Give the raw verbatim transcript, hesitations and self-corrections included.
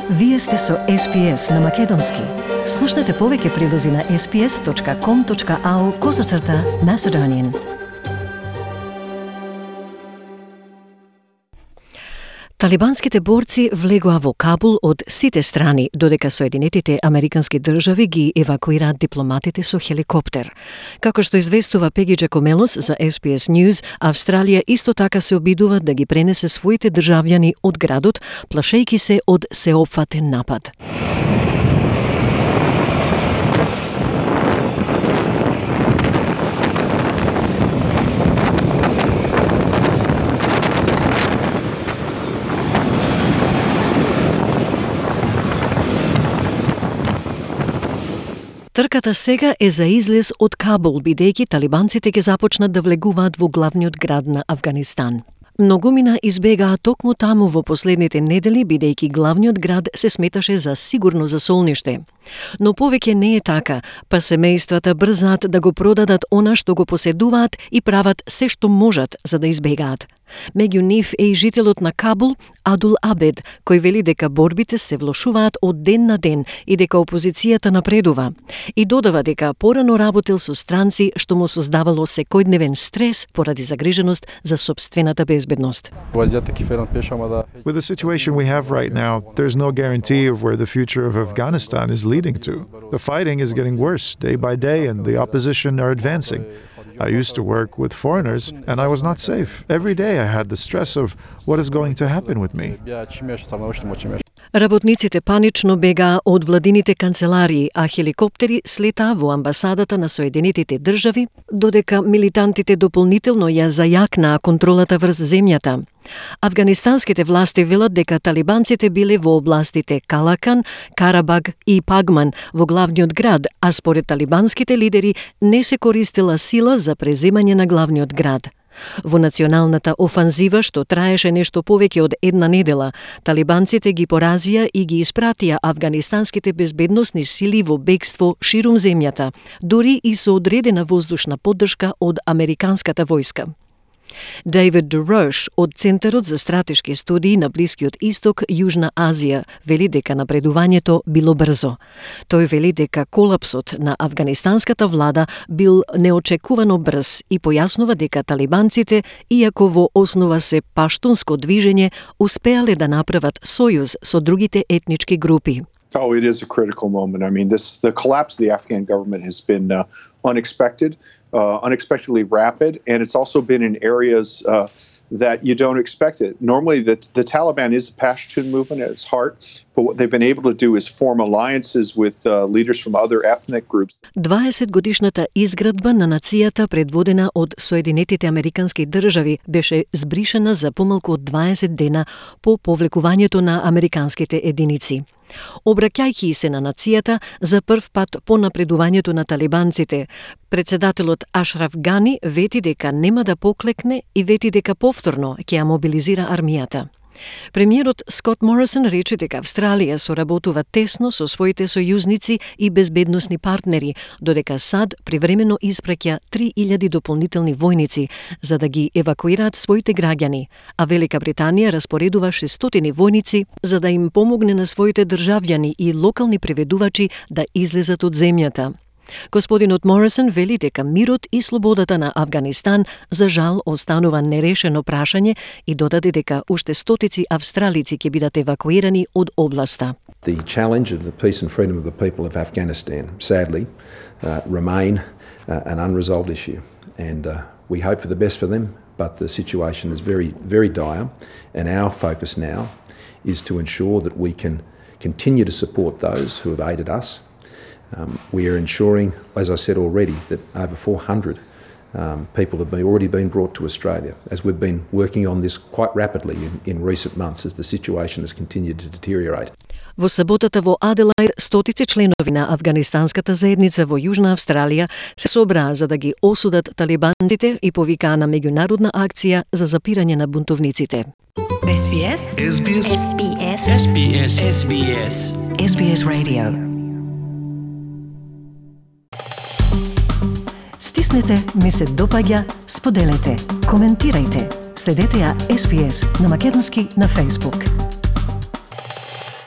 Вие сте со Ес Би Ес на Македонски. Слушнете повеќе прилози на ес би ес точка ком точка ау козацрта Macedonian. Талибанските борци влегоа во Кабул од сите страни, додека Соединетите Американски држави ги евакуираат дипломатите со хеликоптер. Како што известува Пеги Джакомелос за Ес Би Ес News, Австралија исто така се обидува да ги пренесе своите државјани од градот, плашејќи се од сеопфатен напад. Трката сега е за излез од Кабул, бидејќи талибанците ќе започнат да влегуваат во главниот град на Авганистан. Многумина избегаа токму таму во последните недели, бидејќи главниот град се сметаше за сигурно засолниште. Но повеќе не е така, па семејствата брзаат да го продадат она што го поседуваат и прават се што можат за да избегаат. Меѓу нив е и жителот на Кабул, Адул Абед, кој вели дека борбите се влошуваат од ден на ден и дека опозицијата напредува. И додава дека порано работел со странци што му создавало секојдневен стрес поради загриженост за сопствената безбедност. With the situation we have right now, there's no guarantee of where the future of Afghanistan is leading to. The fighting is getting worse day by day and the opposition are advancing. I used to work with foreigners and I was not safe. Every day I had the stress of what is going to happen with me. Работниците панично бегаа од владините канцеларии, а хеликоптери слетаа во амбасадата на Соединетите држави, додека милитантите дополнително ја зајакнаа контролата врз земјата. Афганистанските власти велат дека талибанците биле во областите Калакан, Карабаг и Пагман во главниот град, а според талибанските лидери не се користела сила за преземање на главниот град. Во националната офанзива, што траеше нешто повеќе од една недела, талибанците ги поразија и ги испратија афганистанските безбедносни сили во бегство ширум земјата, дури и со одредена воздушна поддршка од американската војска. Дейвид Дурош од Центарот за стратешки студии на Блискиот Исток, Јужна Азија, вели дека напредувањето било брзо. Тој вели дека колапсот на афганистанската влада бил неочекувано брз и појаснува дека талибанците, иако во основа се паштунско движење, успеале да направат сојуз со другите етнички групи. Oh, it is a critical moment. I mean, this the collapse of the Afghan government has been uh, unexpected, uh, unexpectedly rapid, and it's also been in areas uh, that you don't expect it. Normally, the, the Taliban is a Pashtun movement at its heart, but what they've been able to do is form alliances with uh, leaders from other ethnic groups. дваесет годишната изградба на нацијата, предводена од Соединетите Американски држави, беше збришена за помалку од дваесет дена по повлекувањето на американските единици. Обраќајќи се на нацијата за прв пат по напредувањето на талибанците, председателот Ашраф Гани вети дека нема да поклекне и вети дека повторно ќе ја мобилизира армијата. Премиерот Скот Морисон рече дека Австралија соработува тесно со своите сојузници и безбедносни партнери, додека САД привремено испраќа три илјади дополнителни војници за да ги евакуираат своите граѓани, а Велика Британија распоредува шестстотини војници за да им помогне на своите државјани и локални преведувачи да излезат од земјата. Господинот Морисон вели дека мирот и слободата на Авганистан за жал останува нерешено прашање и додаде дека уште стотици австралици ќе бидат евакуирани од областа. The challenge of the peace and freedom of the people of Afghanistan, sadly, uh, remain uh, an unresolved issue, and uh, we hope for the best for them, but the situation is very, very dire, and our focus now is to ensure that we can continue to support those who have aided us. Um, we are ensuring, as I said already, that over four hundred um, people have been, already been brought to Australia, as we've been working on this quite rapidly in, in recent months as the situation has continued to deteriorate. Во саботата во Аделаид, стотици членови на афганистанската заедница во Јужна Австралија се собраа за да ги осудат талибанците и повикаа на меѓународна акција за запирање на бунтовниците. Ес Би Ес. Ес Би Ес. Ес Би Ес. Ес Би Ес. Ес Би Ес. Ес Би Ес Radio. Стиснете, ми се допаѓа, споделете, коментирајте. Следете ја Ес Би Ес на македонски на Facebook.